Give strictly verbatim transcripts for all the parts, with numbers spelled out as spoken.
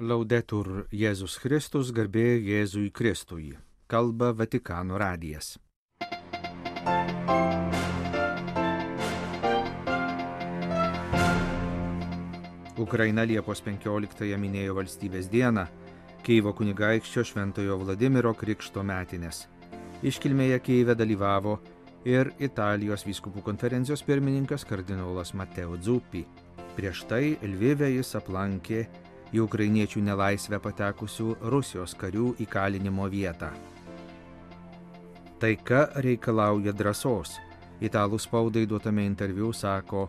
Laudetur Jėzus Kristus, garbė Jėzui Kristui. Kalba Vatikano radijas. Ukraina Liepos penkioliktąją minėjo valstybės dieną, Kijevo kunigaikščio Šventojo Vladimiro krikšto metinės. Iškilmėje Kijeve dalyvavo ir Italijos vyskupų konferencijos pirmininkas kardinolas Matteo Zuppi. Prieš tai Lvive jis aplankė į ukrainiečių nelaisvę patekusių Rusijos karių įkalinimo vietą. Taika reikalauja drąsos. Italų spaudai duotame interviu sako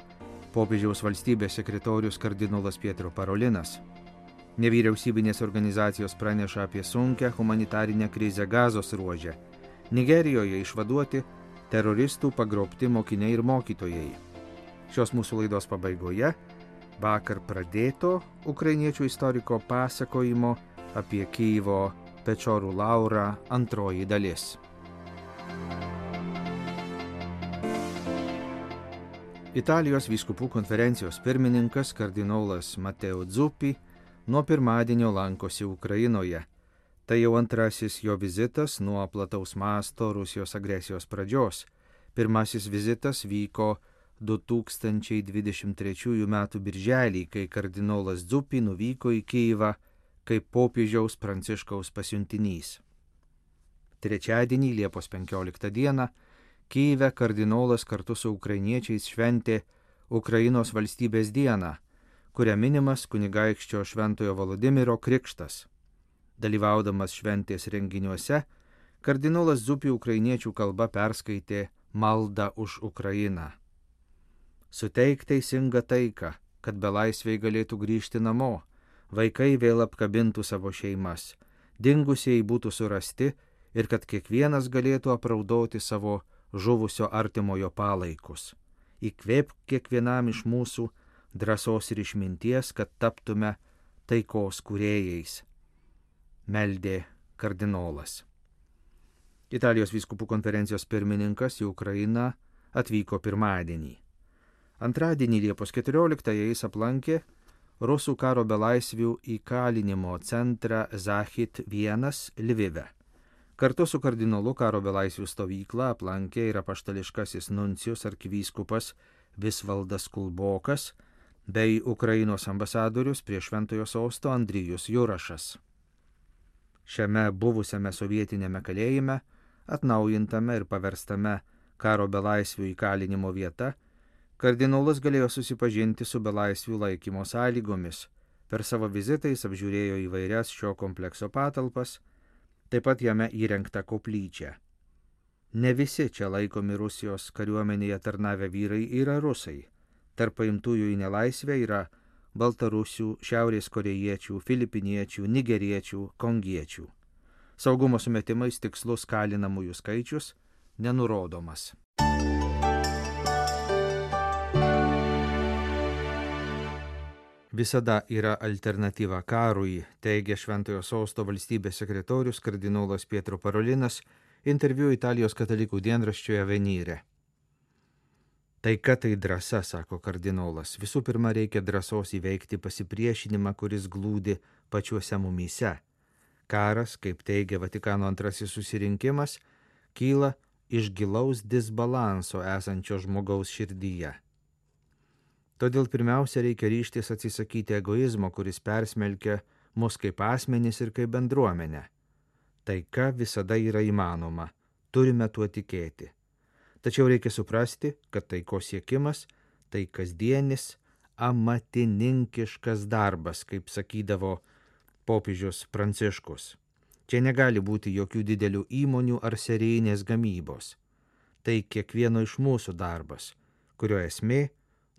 popiežiaus valstybės sekretorius kardinolas Pietro Parolinas. Nevyriausybinės organizacijos praneša apie sunkią humanitarinę krizę Gazos ruože. Nigerijoje išvaduoti teroristų pagrobti mokiniai ir mokytojai. Šios mūsų laidos pabaigoje vakar pradėto ukrainiečių istoriko pasakojimo apie Kijevo Pečorų laurą antroji dalis. Italijos vyskupų konferencijos pirmininkas kardinolas Matteo Zuppi nuo pirmadienio lankosi Ukrainoje. Tai jau antrasis jo vizitas nuo plataus masto Rusijos agresijos pradžios. Pirmasis vizitas vyko du tūkstančiai dvidešimt trečiųjų metų birželį, kai kardinolas Zuppi nuvyko į Kijevą kaip popiežiaus Pranciškaus pasiuntinys. Trečiadienį, Liepos penkioliktą dieną, Kijeve kardinolas kartu su ukrainiečiais šventė Ukrainos valstybės dieną, kuria minimas kunigaikščio Šventojo Vladimiro krikštas. Dalyvaudamas šventės renginiuose, kardinolas Zuppi ukrainiečių kalba perskaitė maldą už Ukrainą. Suteik teisingą taiką, kad belaisviai galėtų grįžti namo, vaikai vėl apkabintų savo šeimas, dingusieji būtų surasti ir kad kiekvienas galėtų apraudoti savo žuvusio artimojo palaikus. Įkvėpk kiekvienam iš mūsų drąsos ir išminties, kad taptume taikos kūrėjais, meldė kardinolas. Italijos vyskupų konferencijos pirmininkas į Ukrainą atvyko pirmadienį. Antradienį Liepos keturioliktąją jis aplankė rusų karo belaisvių įkalinimo centrą Zahid vienas Lvive. Kartu su kardinolu karo belaisvių stovyklą aplankė ir apaštališkasis nuncijus arkivyskupas Visvaldas Kulbokas bei Ukrainos ambasadorius prie Šventojo sosto Andrijus Jurašas. Šiame buvusiame sovietinėme kalėjime, atnaujintame ir paverstame karo belaisvių įkalinimo vieta, kardinolas galėjo susipažinti su belaisvių laikymo sąlygomis. Per savo vizitą jis apžiūrėjo įvairias šio komplekso patalpas, taip pat jame įrengtą koplyčią. Ne visi čia laikomi Rusijos kariuomenėje tarnavę vyrai yra rusai. Tarp paimtųjų į nelaisvę yra baltarusių, šiaurės korėjiečių, filipiniečių, nigeriečių, kongiečių. Saugumo sumetimais tikslus kalinamųjų skaičius nenurodomas. Visada yra alternatyva karui, teigia Šventojo sosto valstybės sekretorius kardinolas Pietro Parolinas interviu Italijos katalikų dienraščioje Avvenire. Taika tai drąsa, sako kardinolas. Visų pirma, reikia drąsos įveikti pasipriešinimą, kuris glūdi pačiuose mumyse. Karas, kaip teigia Vatikano antrasis susirinkimas, kyla iš gilaus disbalanso esančio žmogaus širdyje. Todėl pirmiausia reikia ryžtis atsisakyti egoizmo, kuris persmelkia mus kaip asmenys ir kaip bendruomenę. Taika visada yra įmanoma, turime tuo tikėti. Tačiau reikia suprasti, kad taikos siekimas tai kasdienis amatininkiškas darbas, kaip sakydavo popiežius Pranciškus. Čia negali būti jokių didelių įmonių ar serijinės gamybos. Tai kiekvieno iš mūsų darbas, kurio esmė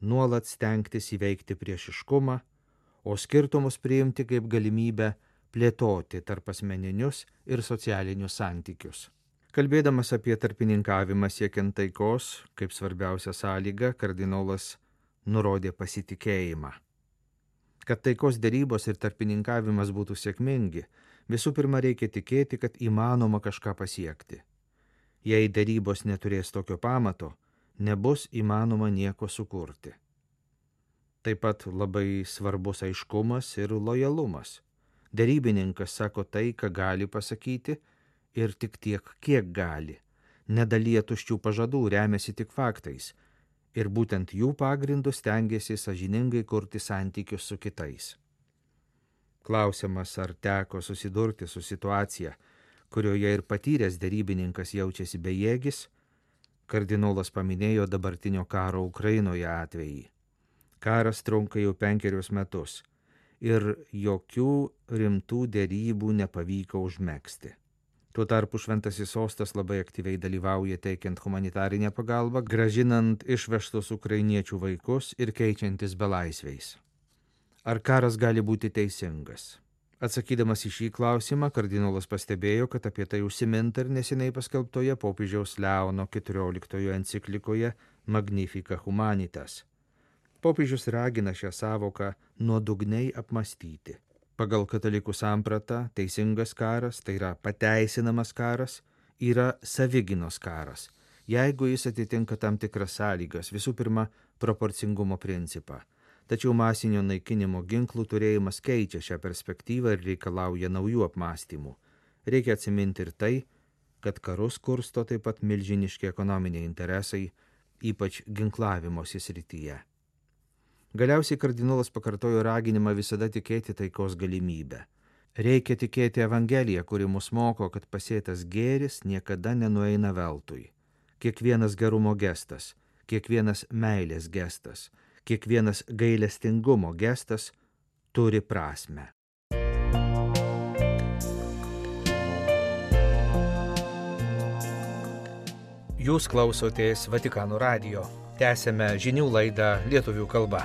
nuolat stengtis įveikti priešiškumą, o skirtumus priimti kaip galimybę plėtoti tarp asmeninius ir socialinius santykius. Kalbėdamas apie tarpininkavimą siekiant taikos, kaip svarbiausia sąlyga, kardinolas nurodė pasitikėjimą. Kad taikos derybos ir tarpininkavimas būtų sėkmingi, visų pirma reikia tikėti, kad įmanoma kažką pasiekti. Jei derybos neturės tokio pamato, nebus įmanoma nieko sukurti. Taip pat labai svarbus aiškumas ir lojalumas. Derybininkas sako tai, ką gali pasakyti ir tik tiek, kiek gali. Nedalyja tuščių pažadų, remiasi tik faktais. Ir būtent jų pagrindų stengiasi sąžiningai kurti santykius su kitais. Klausimas, ar teko susidurti su situacija, kurioje ir patyręs derybininkas jaučiasi bejėgis, kardinolas paminėjo dabartinio karo Ukrainoje atvejį. Karas trunka jau penkerius metus ir jokių rimtų derybų nepavyko užmegzti. Tuo tarpu Šventasis Sostas labai aktyviai dalyvauja teikiant humanitarinę pagalbą, grąžinant išvežtus ukrainiečių vaikus ir keičiantis belaisviais. Ar karas gali būti teisingas? Atsakydamas į šį klausimą, kardinolas pastebėjo, kad apie tai užsiminta ir neseniai paskelbtoje popiežiaus Leono keturioliktojo enciklikoje Magnificat Humanitas. Popiežius ragina šią savoką nuodugniai apmastyti. Pagal katalikų sampratą teisingas karas, tai yra pateisinamas karas, yra savigynos karas, jeigu jis atitinka tam tikras sąlygas, visų pirma, proporcingumo principą. Tačiau masinio naikinimo ginklų turėjimas keičia šią perspektyvą ir reikalauja naujų apmąstymų. Reikia atsiminti ir tai, kad karus kursto taip pat milžiniški ekonominiai interesai, ypač ginklavimosi srityje. Galiausiai kardinolas pakartojo raginimą visada tikėti taikos galimybę. Reikia tikėti Evangeliją, kuri mus moko, kad pasėtas gėris niekada nenueina veltui. Kiekvienas gerumo gestas, kiekvienas meilės gestas, kiekvienas gailestingumo gestas turi prasmę. Jūs klausotės Vatikano radijo. Tęsėme žinių laidą lietuvių kalba.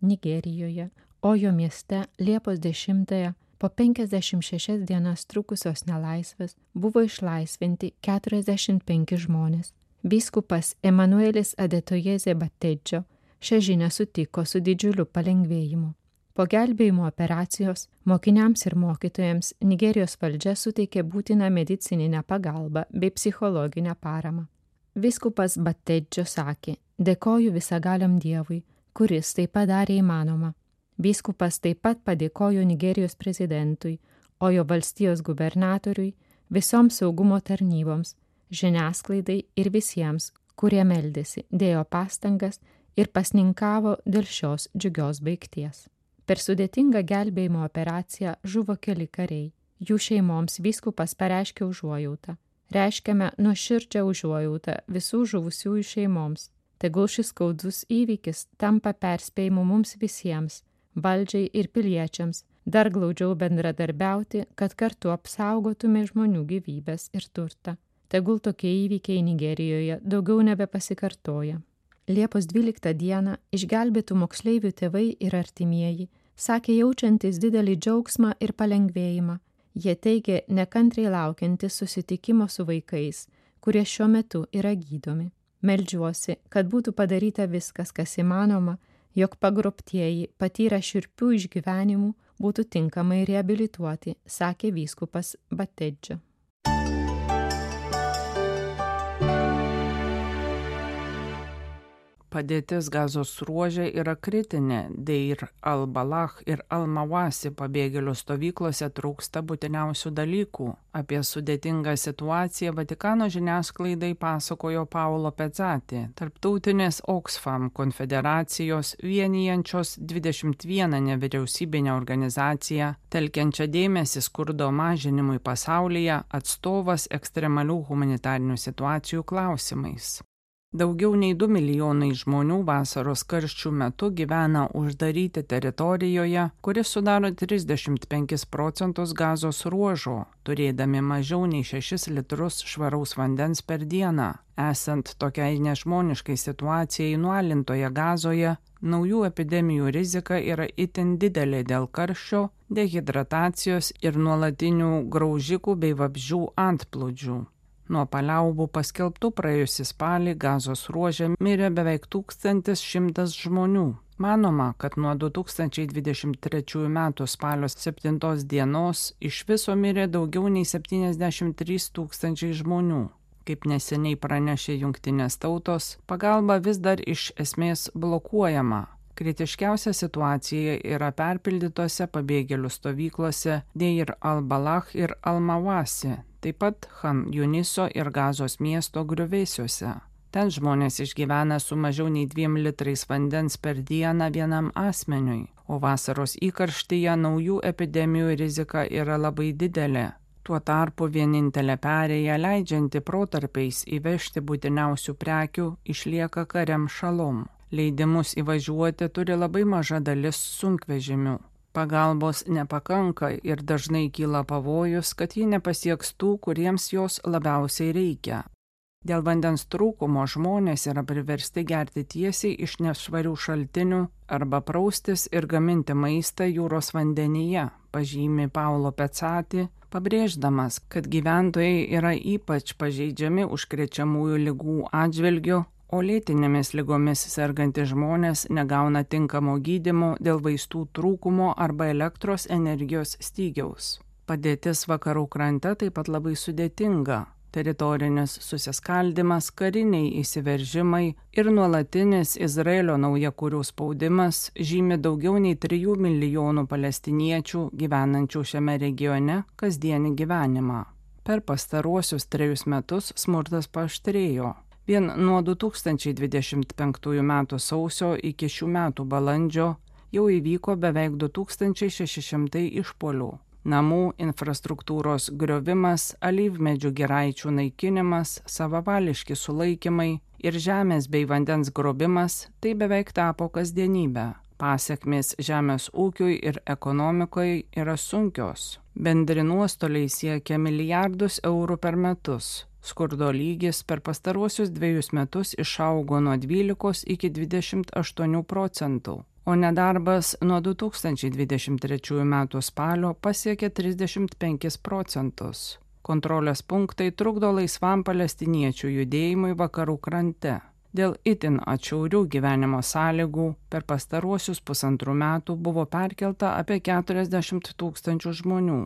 Nigerijoje, Ojo mieste Liepos dešimtąją po penkiasdešimt šešias dienas trukusios nelaisvės buvo išlaisvinti keturiasdešimt penki žmonės. Vyskupas Emanuelis Adetojezė Battedžio šią žinią sutiko su didžiuliu palengvėjimu. Po gelbėjimo operacijos mokiniams ir mokytojams Nigerijos valdžia suteikė būtiną medicininę pagalbą bei psichologinę paramą. Vyskupas Battedžio sakė: "Dėkoju visagaliam Dievui, kuris tai padarė įmanoma." Vyskupas taip pat padėkojo Nigerijos prezidentui, Ojo valstijos gubernatoriui, visoms saugumo tarnyboms, žiniasklaidai ir visiems, kurie meldėsi, dėjo pastangas ir pasninkavo dėl šios džiugios baigties. Per sudėtingą gelbėjimo operaciją žuvo keli kariai. Jų šeimoms vyskupas pareiškė užuojautą. Reiškiame nuoširdžią užuojautą visų žuvusiųjų šeimoms. Tegul šis skaudus įvykis tampa perspėjimu mums visiems, valdžiai ir piliečiams, dar glaudžiau bendradarbiauti, kad kartu apsaugotume žmonių gyvybes ir turtą. Tegul tokie įvykiai Nigerijoje daugiau nebepasikartoja. Liepos dvyliktą dieną išgelbėtų moksleivių tėvai ir artimieji sakė jaučiantis didelį džiaugsmą ir palengvėjimą. Jie teigė nekantriai laukiantis susitikimo su vaikais, kurie šiuo metu yra gydomi. Meldžiuosi, kad būtų padaryta viskas, kas įmanoma, jog pagrobtieji patyrę šiurpių išgyvenimų būtų tinkamai reabilituoti, sakė vyskupas Battedžio. Padėtis Gazos ruože yra kritinė, Deir al-Balah ir al-Mawasi pabėgėlių stovyklose trūksta būtiniausių dalykų. Apie sudėtingą situaciją Vatikano žiniasklaidai pasakojo Paolo Pezzati, tarptautinės Oxfam konfederacijos vienijančios dvidešimt vieną nevyriausybinę organizaciją, telkiančią dėmesį skurdo mažinimui pasaulyje, atstovas ekstremalių humanitarinių situacijų klausimais. Daugiau nei du milijonai žmonių vasaros karščių metu gyvena uždaryti teritorijoje, kuris sudaro trisdešimt penkis procentus Gazos ruožo, turėdami mažiau nei šešis litrus švaraus vandens per dieną. Esant tokiai nežmoniškai situacijai nualintoje Gazoje, naujų epidemijų rizika yra itin didelė dėl karščio, dehidratacijos ir nuolatinių graužikų bei vabzdžių antplūdžių. Nuo paliaubų paskelbtų praėjusį spalį Gazos ruože mirė beveik tūkstantis šimtas žmonių. Manoma, kad nuo du tūkstančiai dvidešimt trečiųjų metų spalio septintos dienos iš viso mirė daugiau nei septyniasdešimt trys tūkstančiai žmonių. Kaip neseniai pranešė Jungtinės tautos, pagalba vis dar iš esmės blokuojama. Kritiškiausia situacija yra perpildytose pabėgėlių stovyklose Deir al-Balah ir al-Mawasi, taip pat Chan Juniso ir Gazos miesto griuvėsiuose. Ten žmonės išgyvena su mažiau nei dviem litrais vandens per dieną vienam asmeniui, o vasaros įkarštyje naujų epidemijų rizika yra labai didelė. Tuo tarpu vienintelė perėja leidžianti protarpiais įvežti būtiniausių prekių išlieka Karem Shalom. Leidimus įvažiuoti turi labai maža dalis sunkvežimių. Pagalbos nepakanka ir dažnai kyla pavojus, kad ji nepasieks tų, kuriems jos labiausiai reikia. Dėl vandens trūkumo žmonės yra priversti gerti tiesiai iš nešvarių šaltinių arba praustis ir gaminti maistą jūros vandenyje, pažymi Paulo Pezzati, pabrėždamas, kad gyventojai yra ypač pažeidžiami užkrečiamųjų ligų atžvilgiu, o lėtinėmis ligomis sergantys žmonės negauna tinkamo gydymo dėl vaistų trūkumo arba elektros energijos stygiaus. Padėtis vakarų krante taip pat labai sudėtinga. Teritorinis susiskaldimas, kariniai įsiveržimai ir nuolatinis Izraelio naujakurių spaudimas žymi daugiau nei trijų milijonų palestiniečių gyvenančių šiame regione kasdienį gyvenimą. Per pastaruosius trejus metus smurtas paaštrėjo. Vien nuo du tūkstančiai dvidešimt penktųjų metų sausio iki šių metų balandžio jau įvyko beveik du tūkstančiai šeši šimtai išpuolių. Namų infrastruktūros griovimas, alyvmedžių giraičių naikinimas, savavališki sulaikymai ir žemės bei vandens grobimas – tai beveik tapo kasdienybė. Pasekmės žemės ūkiui ir ekonomikai yra sunkios. Bendri nuostoliai siekia milijardus eurų per metus. Skurdo lygis per pastaruosius dviejus metus išaugo nuo dvylikos iki dvidešimt aštuonių procentų. O nedarbas nuo du tūkstančiai dvidešimt trečiųjų metų spalio pasiekė trisdešimt penkis procentus. Kontrolės punktai trukdo laisvam palestiniečių judėjimui vakarų krante. Dėl itin atšiaurių gyvenimo sąlygų per pastaruosius pusantrų metų buvo perkelta apie keturiasdešimt tūkstančių žmonių.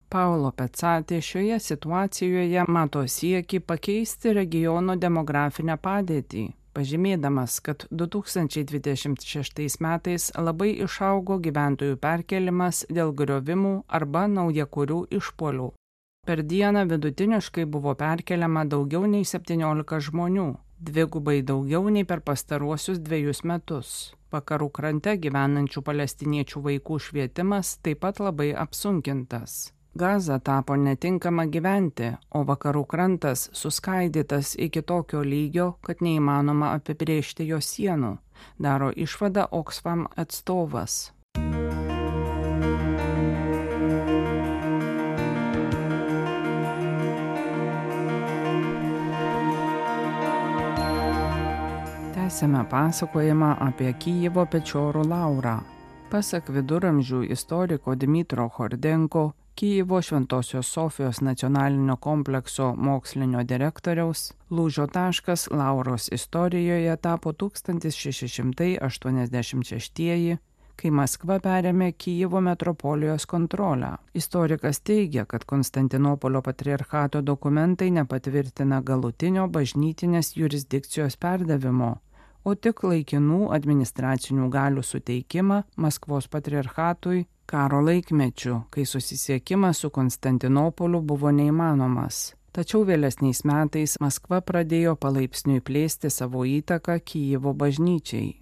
Paulo Pezzati šioje situacijoje mato siekį pakeisti regiono demografinę padėtį, pažymėdamas, kad du tūkstančiai dvidešimt šeštais metais labai išaugo gyventojų perkelimas dėl griovimų arba naujakurių išpuolių. Per dieną vidutiniškai buvo perkeliama daugiau nei septyniolika žmonių, dvigubai daugiau nei per pastaruosius dviejus metus. Vakarų krante gyvenančių palestiniečių vaikų švietimas taip pat labai apsunkintas. Gaza tapo netinkama gyventi, o vakarų krantas suskaidytas iki tokio lygio, kad neįmanoma apibrėžti jo sienų, daro išvadą Oxfam atstovas. Tęsiame pasakojimą apie Kijevo Pečiorų laurą. Pasak viduramžių istoriko Dmitro Hordenko, Kijevo Šventosios Sofijos nacionalinio komplekso mokslinio direktoriaus, lūžio taškas Lauros istorijoje tapo tūkstantis šeši šimtai aštuoniasdešimt šeštieji, kai Maskva perėmė Kijevo metropolijos kontrolę. Istorikas teigia, kad Konstantinopolio patriarchato dokumentai nepatvirtina galutinio bažnytinės jurisdikcijos perdavimo, o tik laikinų administracinių galių suteikimą Maskvos patriarchatui karo laikmečiu, kai susisiekimas su Konstantinopoliu buvo neįmanomas. Tačiau vėlesniais metais Maskva pradėjo palaipsniui plėsti savo įtaką Kijevo bažnyčiai.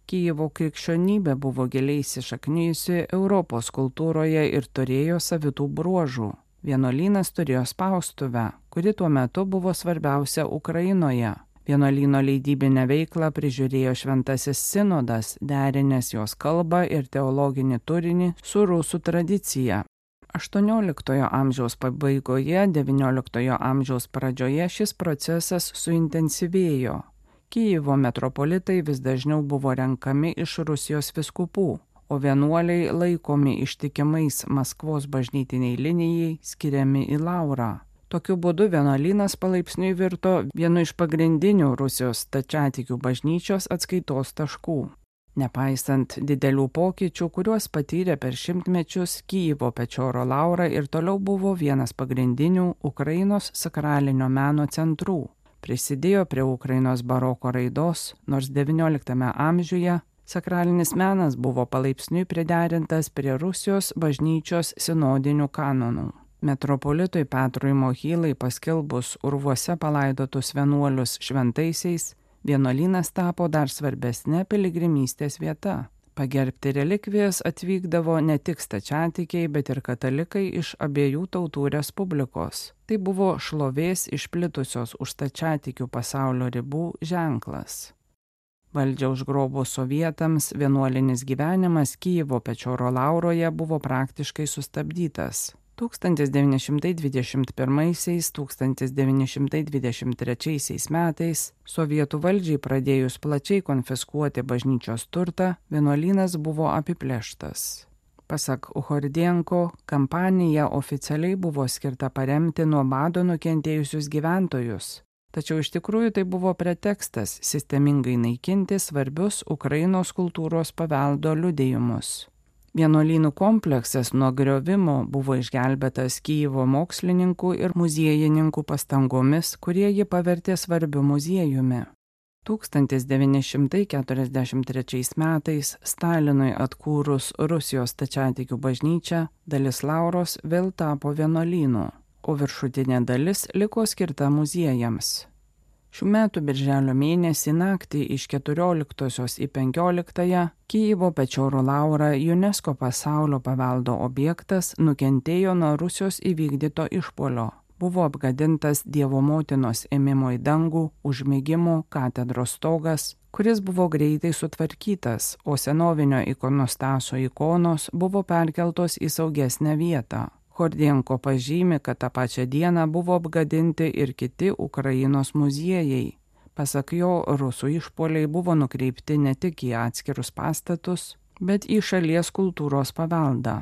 Kijevo krikščionybė buvo giliai įsišaknijusi Europos kultūroje ir turėjo savitų bruožų. Vienuolynas turėjo spaustuvę, kuri tuo metu buvo svarbiausia Ukrainoje. Vienuolyno leidybinę veiklą prižiūrėjo Šventasis sinodas, derinęs jos kalbą ir teologinį turinį su rusų tradicija. aštuonioliktojo amžiaus pabaigoje, devynioliktojo amžiaus pradžioje šis procesas suintensyvėjo. Kijevo metropolitai vis dažniau buvo renkami iš Rusijos vyskupų, o vienuoliai laikomi ištikimais Maskvos bažnytiniai linijai skiriami į laurą. Tokiu būdu vienuolynas palaipsniui virto vienu iš pagrindinių Rusijos stačiatikių bažnyčios atskaitos taškų. Nepaisant didelių pokyčių, kuriuos patyrė per šimtmečius, Kijevo Pečioro laura ir toliau buvo vienas pagrindinių Ukrainos sakralinio meno centrų. Prisidėjo prie Ukrainos baroko raidos, nors devynioliktame amžiuje Sakralinis menas buvo palaipsniui priderintas prie Rusijos bažnyčios sinodinių kanonų. Metropolitui Petrui Mochylai paskelbus urvuose palaidotus vienuolius šventaisiais, vienuolynas tapo dar svarbesnė piligrimystės vieta. Pagerbti relikvijas atvykdavo ne tik stačiatikiai, bet ir katalikai iš abiejų tautų respublikos. Tai buvo šlovės išplitusios už stačiatikių pasaulio ribų ženklas. Valdžią užgrobus sovietams vienuolinis gyvenimas Kijevo Pečoro Lauroje buvo praktiškai sustabdytas. tūkstantis devyni šimtai dvidešimt pirmaisiais - tūkstantis devyni šimtai dvidešimt trečiaisiais metais sovietų valdžiai pradėjus plačiai konfiskuoti bažnyčios turtą, vienuolynas buvo apiplėštas. Pasak Uchordienko, kampanija oficialiai buvo skirta paremti nuo bado nukentėjusius gyventojus, tačiau iš tikrųjų tai buvo pretekstas sistemingai naikinti svarbius Ukrainos kultūros paveldo liudijimus. Vienuolynų kompleksas nuo griovimo buvo išgelbėtas Kijevo mokslininkų ir muziejininkų pastangomis, kurie jį pavertė svarbiu muziejumi. tūkstantis devyni šimtai keturiasdešimt trečiais metais Stalinui atkūrus Rusijos stačiatikių bažnyčią, dalis Lauros vėl tapo vienuolynu, o viršutinė dalis liko skirta muziejams. Šių metų birželio mėnesį naktį iš keturioliktosios į penkioliktąją Kijevo Pečoro Laura UNESCO pasaulio paveldo objektas nukentėjo nuo Rusijos įvykdyto išpuolio. Buvo apgadintas Dievo motinos ėmimo į dangų užmigimo katedros stogas, kuris buvo greitai sutvarkytas, o senovinio ikonostaso ikonos buvo perkeltos į saugesnę vietą. Chordienko pažymi, kad tą pačią dieną buvo apgadinti ir kiti Ukrainos muziejai. Pasak jo, rusų išpuoliai buvo nukreipti ne tik į atskirus pastatus, bet į šalies kultūros paveldą.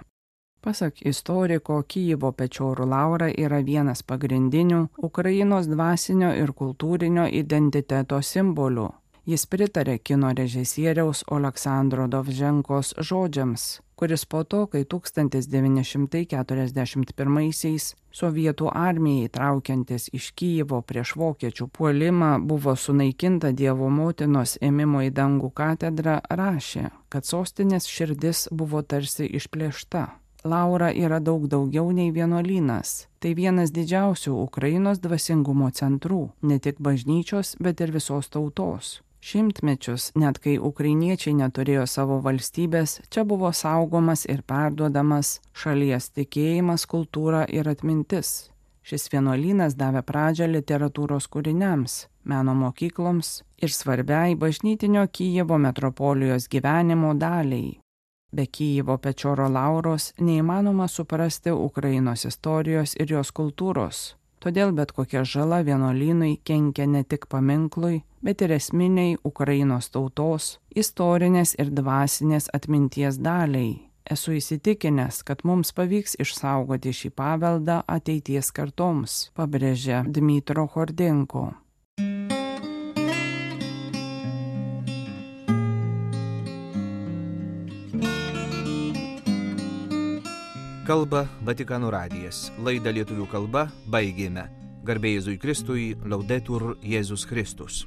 Pasak istoriko, Kijevo Pečoro Laura yra vienas pagrindinių Ukrainos dvasinio ir kultūrinio identiteto simbolių. Jis pritarė kino režisieriaus Oleksandro Dovženkos žodžiams, kuris po to, kai tūkstantis devyni šimtai keturiasdešimt pirmaisiais sovietų armijai traukiantis iš Kijevo prieš vokiečių puolimą buvo sunaikinta Dievo motinos ėmimo į dangų katedra, rašė, kad sostinės širdis buvo tarsi išplėšta. Laura yra daug daugiau nei vienuolynas. Tai vienas didžiausių Ukrainos dvasingumo centrų, ne tik bažnyčios, bet ir visos tautos. Šimtmečius, net kai ukrainiečiai neturėjo savo valstybės, čia buvo saugomas ir perduodamas šalies tikėjimas, kultūra ir atmintis. Šis vienuolynas davė pradžią literatūros kūriniams, meno mokykloms ir svarbiai bažnytinio Kijevo metropolijos gyvenimo daliai. Be Kijevo Pečoro Lauros neįmanoma suprasti Ukrainos istorijos ir jos kultūros. Todėl bet kokia žala vienuolynui kenkia ne tik paminklui, bet ir esminiai Ukrainos tautos, istorinės ir dvasinės atminties daliai. Esu įsitikinęs, kad mums pavyks išsaugoti šį paveldą ateities kartoms, pabrėžė Dmitro Chordienko. Kalba Vatikano radijas. Laidą lietuvių kalba baigėme. Garbė Jėzui Kristui, Laudetur Jėzus Kristus.